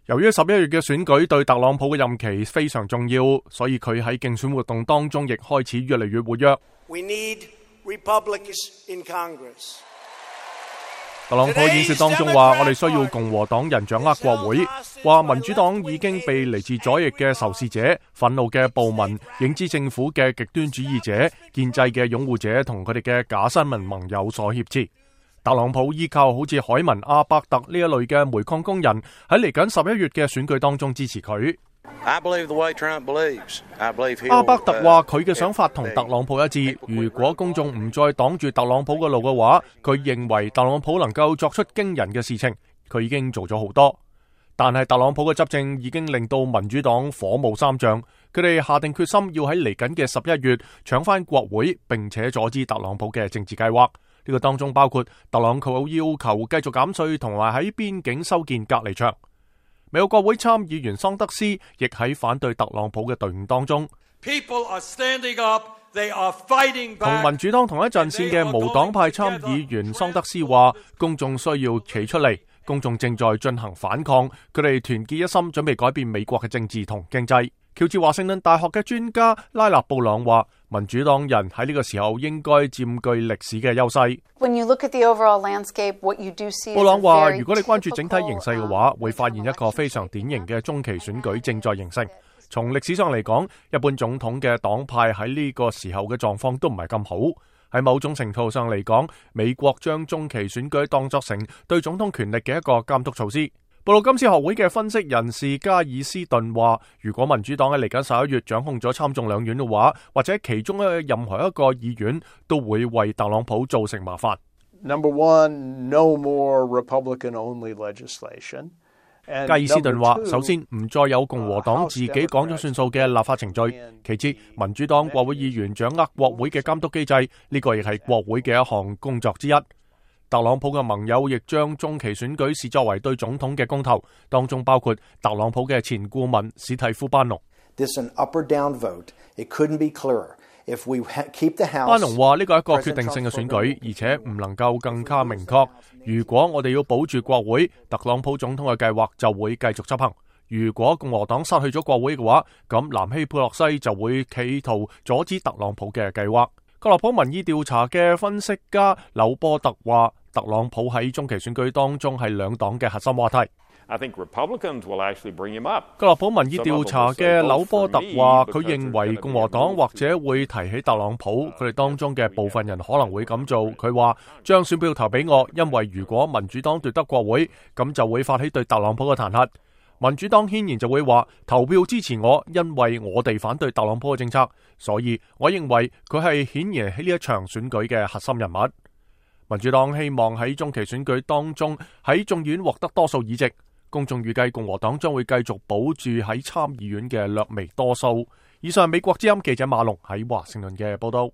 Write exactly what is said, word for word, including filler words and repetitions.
由於十一月嘅選舉對特朗普嘅任期非常重要，所以佢喺競選活動當中亦開始越嚟越活躍。We need Republicans in Congress. 特朗普演說當中話：我哋需要共和黨人掌握國會，話民主黨已經被嚟自左翼嘅仇視者、憤怒嘅暴民、影子政府嘅極端主義者、建制嘅擁護者同佢哋嘅假新聞盟友所挾持。特朗普依靠好似海文阿伯特呢一類嘅煤礦工人喺嚟緊十一月嘅選舉當中支持佢。阿伯特話佢嘅想法同特朗普一致，如果公眾唔再擋住特朗普嘅路嘅話，佢認為特朗普能夠作出驚人嘅事情。佢已經做咗好多，但係特朗普嘅執政已經令到民主黨火冒三丈，佢哋下定決心要喺嚟緊嘅十一月搶翻國會，並且阻止特朗普嘅政治計劃。呢個當中包括特朗普要求繼續減稅同埋喺邊境修建隔離牆。美國國會參議員桑德斯亦喺反對特朗普嘅隊伍當中。同民主黨同一陣線嘅無黨派參議員桑德斯話：公眾需要企出嚟，公眾正在進行反抗，佢哋團結一心，準備改變美國嘅政治同經濟。喬治華盛頓大學嘅專家拉納布朗話：民主黨人喺呢個時候應該佔據歷史嘅優勢。布朗話：如果你關注整體形勢嘅話，會發現一個非常典型嘅中期選舉正在形成。從歷史上嚟講，一般總統嘅黨派喺呢個時候嘅狀況都唔係咁好。喺某種程度上嚟講，美國將中期選舉當作成對總統權力嘅一個監督措施。布魯金斯學會嘅分析人士加爾斯頓話：如果民主黨喺嚟緊十一月掌控咗參眾兩院嘅話，或者其中嘅任何一個議院都會為特朗普造成麻煩。Number one, no more Republican-only legislation. 加爾斯頓話：首先唔再有共和黨自己講咗算數嘅立法程序；其次，民主黨國會議員掌握國會嘅監督機制，呢個亦係國會嘅一項工作之一。特朗普嘅盟友亦將中期選舉視作為對總統嘅公投，當中包括特朗普嘅前顧問史蒂夫班農。班農話：呢個係一個決定性嘅選舉，而且唔能夠更加明確。如果我哋要保住國會，特朗普總統嘅計劃就會繼續執行。如果共和黨失去咗國會嘅話，咁南希佩洛西就會企圖阻止特朗普嘅計劃。格洛普民意調查嘅分析家紐波特話：特朗普喺中期選舉當中係兩黨嘅核心話題。I think Republicans will actually bring him up. 格洛普民意調查嘅紐波特話：佢認為共和黨或者會提起特朗普，佢哋當中嘅部分人可能會咁做。佢話將選票投俾我，因為如果民主黨奪得國會，咁就會發起對特朗普嘅彈劾。民主黨顯然就會話投票支持我，因為我哋反對特朗普嘅政策，所以我認為佢係顯然喺呢一場選舉嘅核心人物。民主黨希望喺中期選舉當中喺眾議院獲得多數議席，公眾預計共和黨將會繼續保住喺參議院嘅略微多數。以上美國之音記者馬龍喺華盛頓嘅報道。